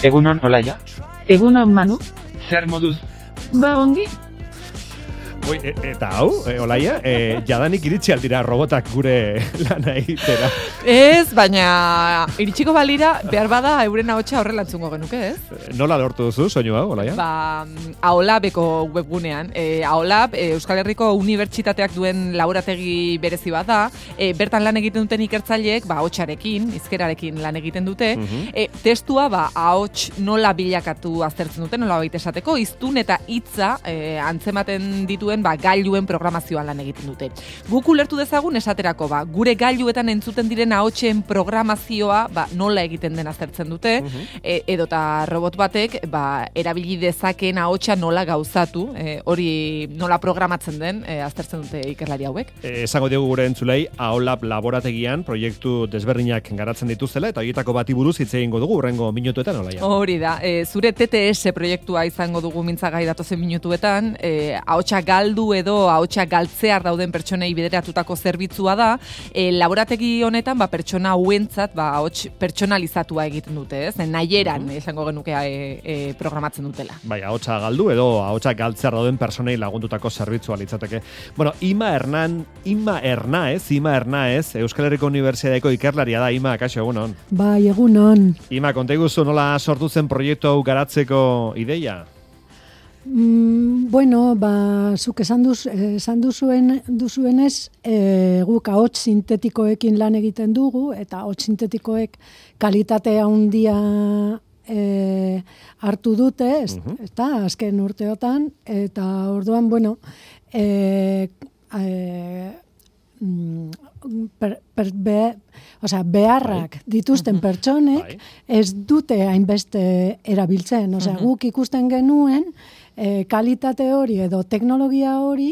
Egunon, Olaia. Egunon, Manu. Zer moduz? Ba, ongi. Eta hau, Olaia, jadanik iritsi aldira robotak gure lana egitera. Ez, baina iritsiko balira, behar bada euren ahotsa horrela entzungo genuke, ez? Nola lortu duzu soinu hau, Olaia? Ba, AOLABeko webgunean. AOLAB, Euskal Herriko Unibertsitateak duen laborategi berezi bat da. Bertan lan egiten duten ikertzaileek, ahotsarekin, hizkerarekin lan egiten dute. Testua, ahots nola bilakatu aztertzen dute, nola baita esateko, hiztun eta hitza antzematen dituen gailuen programazioan lan egiten dute. Guk ulertu dezagun esaterako, gure gailuetan entzuten diren ahotsen programazioa nola egiten den aztertzen dute, edota robot batek erabili dezakeen ahotsa nola gauzatu, hori nola programatzen den aztertzen dute ikerlari hauek. Esango diogu gure entzulei, AOLAB laborategian proiektu desberdinak garatzen dituztela, eta horietako bati buruz hitz egingo dugu hurrengo minutuetan, Olaia. Hori da, zure TTS proiektua izango dugu mintzagai datozen minutuetan, ahotsa galdu edo ahotsa galtzear dauden pertsonei bideratutako zerbitzua da. Laborategi honetan pertsona hauentzat ahots pertsonalizatua egiten dute, ez? Nahieran esango genuke programatzen dutela. Bai, ahotsa galdu edo ahotsa galtzear dauden pertsonei lagundutako zerbitzua litzateke. Bueno, Ima Hernáez, Euskal Herriko Unibertsitateko ikerlaria da. Ima, kaixo, egunon. Bai, egunon. Ima, konta iguzu nola sortu zen proiektu hau garatzeko ideia? Bueno, zuk esan duzuenez, guk ahots sintetikoekin lan egiten dugu, eta ahots sintetikoek kalitatea handia hartu dute, eta azken urteotan, eta orduan, bueno, beharrak dituzten pertsonek ez dute hainbeste erabiltzen. Guk ikusten genuen kalitate hori edo teknologia hori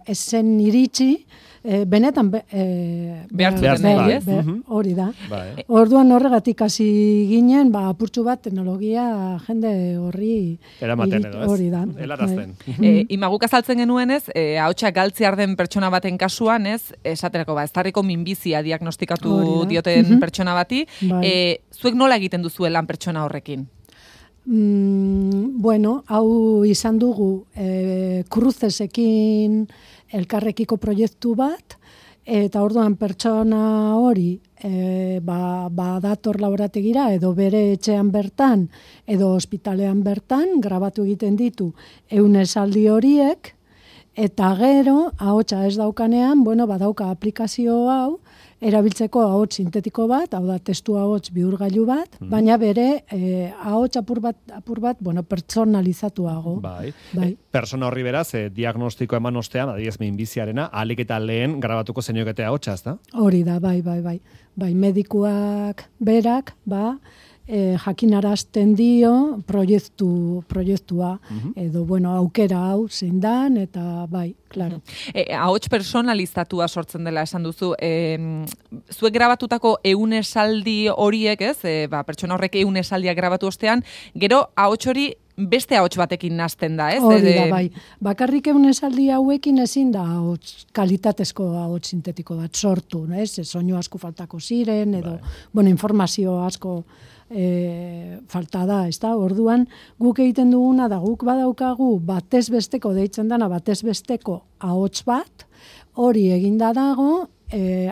ez zen iritsi benetan hori da. Orduan horregatik hasi ginen, apurtxu bat teknologia jende horri eramaten edo, ez? Hori da. Helarazten. Imaguk azaltzen genuen, ez? Ahotsa galtzear den pertsona baten kasuan, ez? Esaterako, eztarriko minbizia diagnostikatu dioten pertsona bati. Zuek nola egiten duzu lan pertsona horrekin? Bueno, hau izan dugu Crucesekin elkarrekiko proiektu bat, eta orduan pertsona hori dator laborategira edo bere etxean bertan edo ospitalean bertan grabatu egiten ditu 100 esaldi horiek, eta gero ahotsa ez daukanean, badauka aplikazio hau erabiltzeko ahots sintetiko bat, hau da testu ahots bihurgailu bat, baina bere ahots apur bat, pertsonalizatuago. Bai. Persona horri beraz, diagnostiko eman ostean, adibidez minbiziarena, ahalik eta lehen grabatuko zeniokete ahotsa, ezta? Hori da, bai. Bai, medikuak berak, jakinarazten dio proiektua, edo, aukera hau zein dan, eta bai, klaro. Ahots personalizatua sortzen dela esan duzu. Zuek grabatutako 100 esaldi horiek, ez? Pertsona horrek 100 esaldiak grabatu ostean, gero ahots hori beste ahots batekin nazten da, ez? Hori da, bai. Bakarrik 100 esaldi hauekin ezin da kalitatezko ahots sintetiko bat sortu, ez? Soinu asko faltako ziren, edo, informazio asko falta da, ez da? Orduan, guk egiten duguna da, guk badaukagu batez besteko deitzen dana, batez besteko ahots bat, hori eginda dago,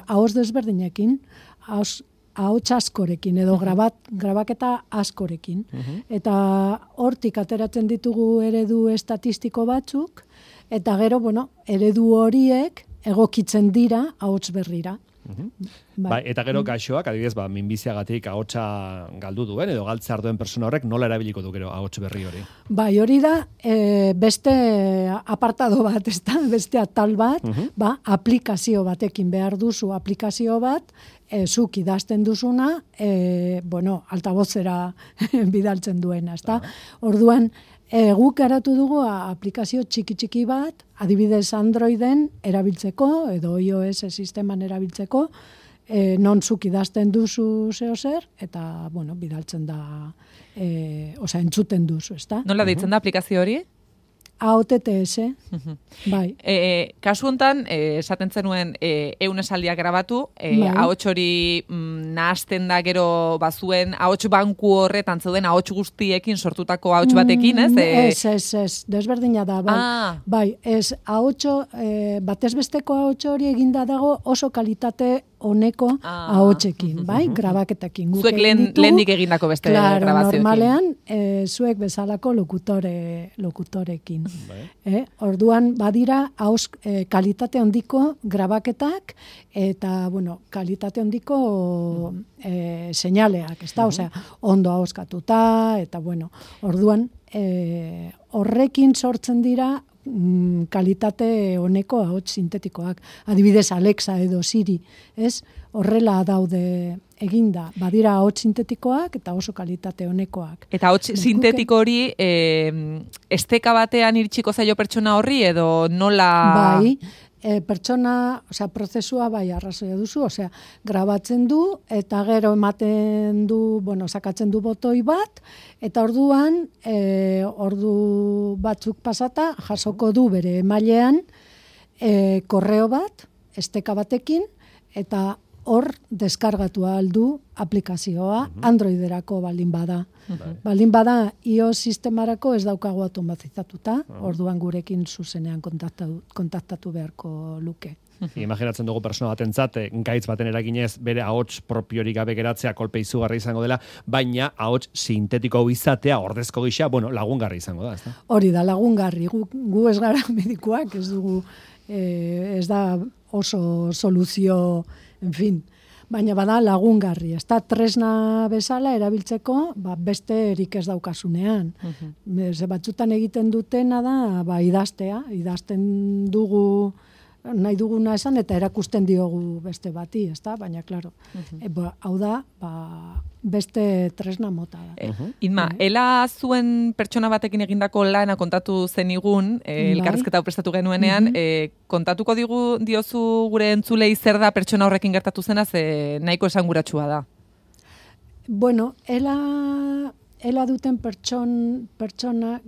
ahots desberdinekin, ahots askorekin, edo grabaketa askorekin. Eta hortik ateratzen ditugu eredu estatistiko batzuk, eta gero, eredu horiek egokitzen dira ahots berrira. Eta gero gaixoak, adibidez, minbiziagatik ahotsa galdu duen edo galtzear duen persona horrek nola erabiliko du gero ahots berri hori? Bai, hori da beste apartado bat, beste atal bat, aplikazio batekin behar duzu, aplikazio bat, zuk idazten duzuna, altabozera bidaltzen duena, ezta? Orduan, guk garatu dugu aplikazio txiki bat, adibidez Androiden erabiltzeko, edo iOS sisteman erabiltzeko, non zuk idazten duzu zeozer, eta, bidaltzen da, entzuten duzu, ezta? Nola deitzen da aplikazio hori? AOTTS, bai. Kasu hontan, esaten zenuen ehun esaldiak grabatu, ahots hori nahasten da gero bazuen ahots banku horretan zeuden ahots guztiekin sortutako ahots batekin, ez? Ez, desberdina da, bai. Bai, ez ahotso, batez besteko ahots hori eginda dago oso kalitate honeko ahotsekin, bai, grabaketekin. Zuek lehendik egindako beste grabazioekin. Normalean, zuek bezalako lokutorekin. Orduan, badira kalitate handiko grabaketak eta, kalitate handiko seinaleak, ez da? Osea, ondo ahoskatuta, eta, orduan, horrekin sortzen dira kalitate honeko ahots sintetikoak. Adibidez, Alexa edo Siri, ez? Horrela daude eginda. Badira ahots sintetikoak eta oso kalitate honekoak. Eta ahots sintetiko hori esteka batean iritsiko zaio pertsona horri edo nola... Bai, pertsona, prozesua bai arrazoia duzu, grabatzen du eta gero ematen du, sakatzen du botoi bat, eta orduan, ordu batzuk pasata, jasoko du bere emailean korreo bat, esteka batekin, eta hor deskargatu aldu aplikazioa Androiderako baldin bada. Baldin bada iOS sistemarako ez daukagu automatizatuta, orduan gurekin zuzenean kontaktatu beharko luke. Imaginatzen dugu persona batentzat, gaitz baten eraginez bere ahots propiorik gabe geratzea kolpe izugarri izango dela, baina ahots sintetiko izatea ordezko gisa, lagungarri izango da, ezta? Hori da, lagungarri. Gu ez gara medikuak, ez dugu, ez da oso soluzio, en fin, baina bada lagungarri. Ez da tresna bezala erabiltzeko, beste erik ez daukasunean. Batzutan egiten dutena da, idazten dugu nahi duguna esan, eta erakusten diogu beste bati, ez da? Baina, klaro, hau da, beste tresna mota da. Inma, ela zuen pertsona batekin egindako lana kontatu zenigun, elkarrizketa prestatu genuenean, kontatuko diozu gure entzulei zer da pertsona horrekin gertatu zena, ze nahiko esanguratsua da. Bueno, ela duten pertsona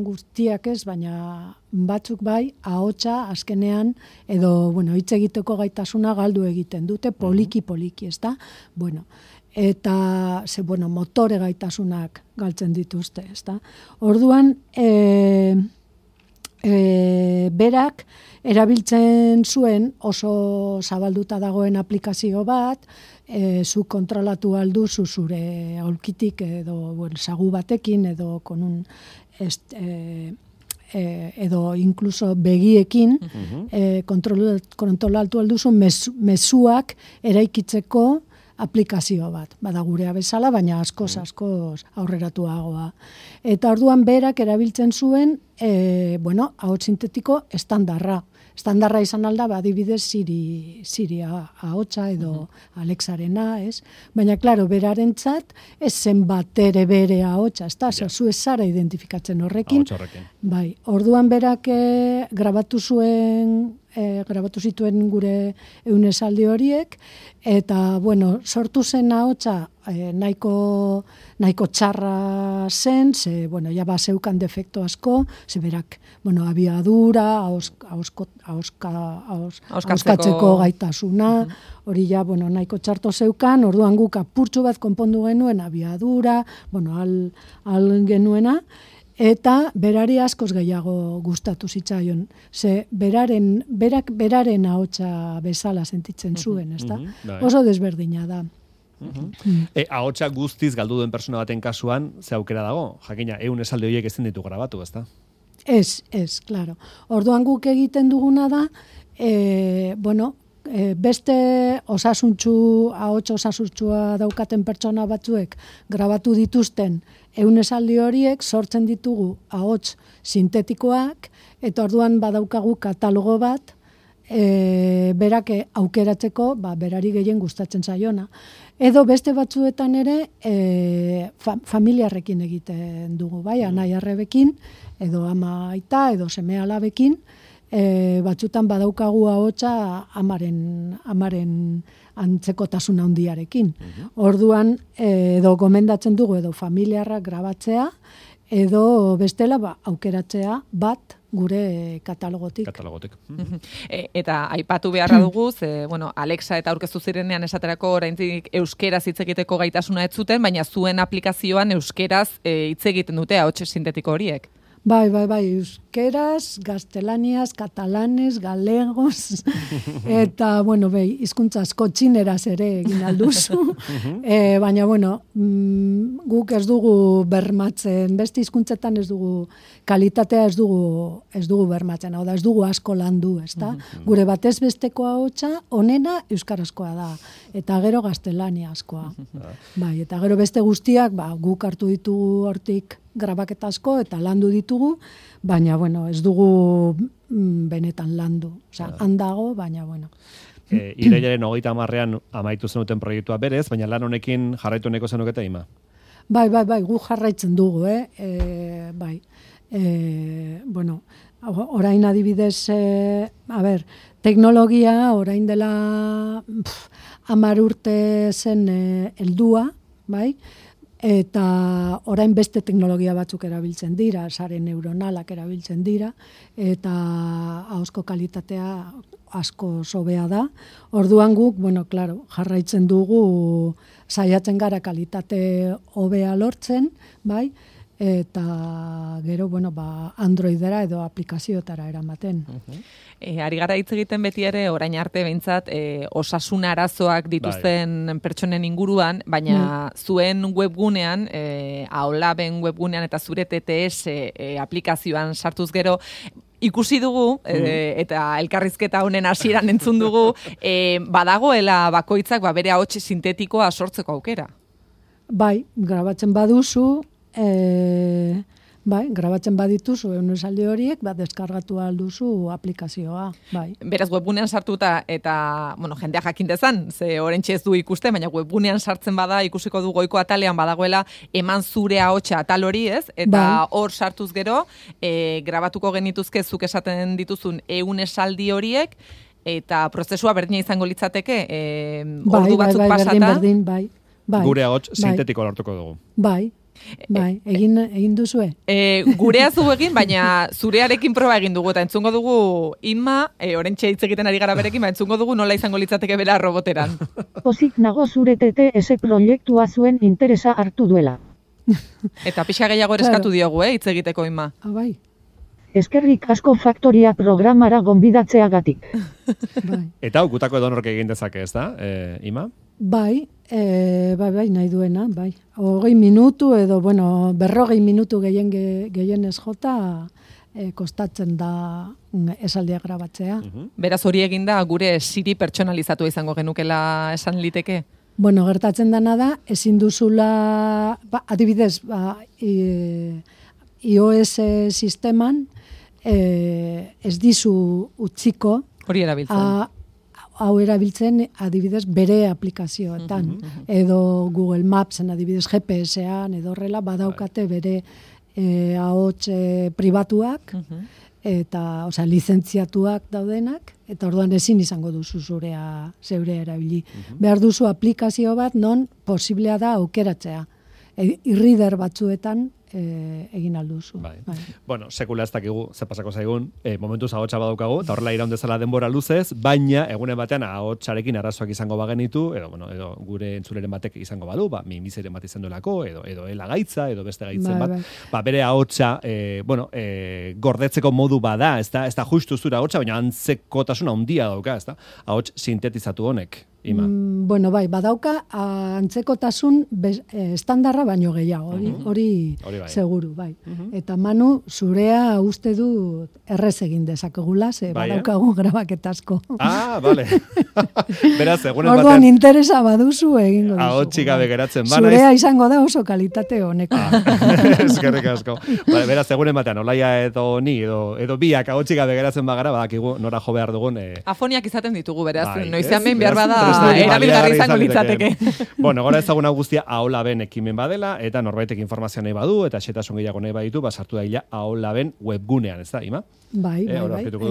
guztiak ez, baina batzuk bai, ahotsa azkenean, edo, hitz egiteko gaitasuna galdu egiten dute, poliki, ez da? Eta, motore gaitasunak galtzen dituzte, ez da? Orduan, berak erabiltzen zuen oso zabalduta dagoen aplikazio bat, zu kontrolatu alduzu zure aulkitik edo sagu batekin edo konun edo incluso begiekin kontrolatu alduzu mezuak eraikitzeko aplikazio bat. Bada gurea bezala, baina askoz aurreratuagoa. Eta orduan berak erabiltzen zuen, ahots sintetiko estandarra. Estandarra izan alda, adibidez, Siri ahotsa edo Alexarena, ez? Baina, klaro, berarentzat, ez zen bat ere bere ahotsa, ez da? Zu ez zara identifikatzen horrekin. Bai, orduan berak grabatu zituen gure esaldi horiek, eta, sortu zen ahotsa nahiko txarra zen, ze, ja zeukan defekto asko, ze berak, abiadura, ahoskatzeko gaitasuna, hori ja, nahiko txarto zeukan, orduan guk apurtxu bat konpondu genuen abiadura, al genuena, eta berari askoz gehiago gustatu zitzaion. Ze berak beraren ahotsa bezala sentitzen zuen, ezta? Oso desberdina da. Ahotsa guztiz galdu duen persona baten kasuan, ze aukera dago? Jakina, 100 esaldi horiek ezin ditu grabatu, ezta? Ez, klaro. Orduan guk egiten duguna da, beste ahots osasuntsua daukaten pertsona batzuek grabatu dituzten 100 esaldi horiek sortzen ditugu ahots sintetikoak, eta orduan badaukagu katalogo bat, berak aukeratzeko, berari gehien gustatzen zaiona. Edo beste batzuetan ere familiarrekin egiten dugu, anai arrebekin, edo ama aita, edo seme alabekin, batzutan badaukagu ahotsa amaren antzekotasun handiarekin. Orduan, edo gomendatzen dugu, edo familiarrak grabatzea, edo bestela aukeratzea bat gure katalogotik. Eta aipatu beharra dugu, bueno, Alexa eta aurkeztu zirenean esaterako oraindik euskeraz hitz egiteko gaitasuna ez zuten, baina zuen aplikazioan euskeraz hitz egiten dute ahots sintetiko horiek. Bai, euskeraz, gaztelaniaz, katalanez, galegos, eta, bueno, hizkuntza asko txineraz ere egin alduzu, baina, bueno, guk ez dugu bermatzen, beste hizkuntzetan ez dugu, kalitatea ez dugu bermatzen, hau da, ez dugu asko landu, ezta? Gure batez besteko ahotsa onena euskarazkoa da, eta gero gaztelaniazkoa. Bai, eta gero beste guztiak, guk hartu ditugu hortik grabaketa asko eta landu ditugu, baina, bueno, ez dugu benetan landu. Osea, handago, baina, bueno. Irailaren 30ean amaitu zenuten proiektua berez, baina lan honekin jarraitu neko zenukete, Ima? Bai, gu jarraitzen dugu, bai. Bueno, orain adibidez, teknologia, orain dela 10 urte zen heldua, bai, eta orain beste teknologia batzuk erabiltzen dira, sare neuronalak erabiltzen dira, eta ahozko kalitatea asko sobea da. Orduan guk, bueno, claro, jarraitzen dugu saiatzen gara kalitate hobea lortzen, bai, eta gero, bueno, Androidera edo aplikazioetara eramaten. Ari gara hitz egiten beti ere, orain arte behintzat, osasun arazoak dituzten pertsonen inguruan, baina zuen webgunean, AOLABen webgunean eta zure TTS aplikazioan sartuz gero, ikusi dugu, eta elkarrizketa honen hasieran entzun dugu, badagoela bakoitzak bere ahots sintetikoa sortzeko aukera. Bai, grabatzen baduzu, grabatzen badituzu esaldi horiek, deskargatu alduzu aplikazioa, bai. Beraz, webgunean sartuta eta, bueno, jendea jakin dezan, ze orentxe ez du ikuste, baina webgunean sartzen bada ikusiko du goiko atalean badagoela eman zure ahotsa atal hori, ez? Eta hor sartuz gero, grabatuko genituzke zuk esaten dituzun 100 esaldi horiek, eta prozesua berdina izango litzateke, ordu batzuk pasata. Bai. Gure ahots sintetiko lortuko dugu. Bai, egin duzue? Gurea zu egin, baina zurearekin proba egin dugu, eta entzungo dugu Inma, orentxe hitz egiten ari gara berekin, entzungo dugu nola izango litzateke bera roboteran. Pozik nago zure TTS proiektua zuen interesa hartu duela. Eta pixa gehiago eskatu diogu, hitz egiteko Inma. Bai. Eskerrik asko faktoria programara gonbidatzeagatik. Eta gutako edonork egin dezake, ez da, Ima? Bai, nahi duena, bai. 20 minutu edo, bueno, 40 minutu gehienez jota kostatzen da esaldia grabatzea. Beraz hori eginda gure Siri pertsonalizatu izango genukela esan liteke? Bueno, gertatzen dena da, ezin duzula, adibidez, iOS sisteman ez dizu utziko hori erabiltzen. Hau erabiltzen adibidez bere aplikazioetan, edo Google Mapsen adibidez GPS-ean, edo horrela badaukate bere ahots pribatuak, eta, osea, lizentziatuak daudenak, eta orduan ezin izango duzu zeurea erabili. Behar duzu aplikazio bat non posiblea da aukeratzea. E-reader batzuetan egin alduzu. Bueno, sekula ez dakigu ze pasako zaigun, momentuz ahotsa badaukagu, eta horrela iraun dezala denbora luzez, baina egunen batean ahotsarekin arazoak izango bagenitu, edo gure entzuleren batek izango badu, minbizeren bat izan duelako, edo gaitza, edo beste gaitzen bat, bere ahotsa, gordetzeko modu bada, ez da justu zura ahotsa, baina antzekotasuna handia dauka, ez da, ahots sintetizatu honek. Ima. Bueno, badauka antzekotasun estandarra baino gehiago, hori seguru, bai. Eta Manu, zurea uste du errez egin dezakegula, ze badaukagu grabaketasko. Bale. Beraz, egunen batean... Orduan interesa baduzu egingo duzu. Ahotsi gabe geratzen bana. Zurea izango da oso kalitate honeko. Eskerrik asko. Beraz, egunen batean, Olaia edo ni, edo biak ahotsi gabe geratzen bagara, badakigu nora jo behar dugun. Afoniak izaten ditugu, beraz, noizean behin behar bada erabilgarri izango litzateke. Bueno, gora ezaguna guztia AOLABen ekimen badela, eta norbaitek informazioa nahi badu, eta xetasun gehiago nahi baditu, sartu daila AOLABen webgunean, ez da, Ima? Bai.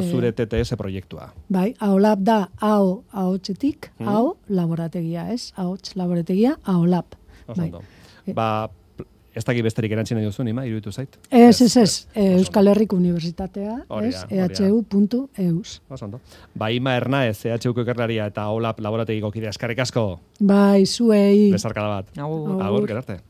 Zure TTS proiektua. Bai, AOLAB da ahotsetik, laborategia, ez? Ahots laborategia, AOLAB. Bai. Ez dakit besterik erantzina duzun, ima, iruditu zait? Ez. Euskal Herriko Unibertsitatea, Hori ez? da. ehu.eus. Ondo. Ba, Ima Hernaez, EHUko ikerlaria eta OLAP laborategiko kidea eskerrik asko. Bai, zuei. Besarkada bat. Agur. Agur, gerarte.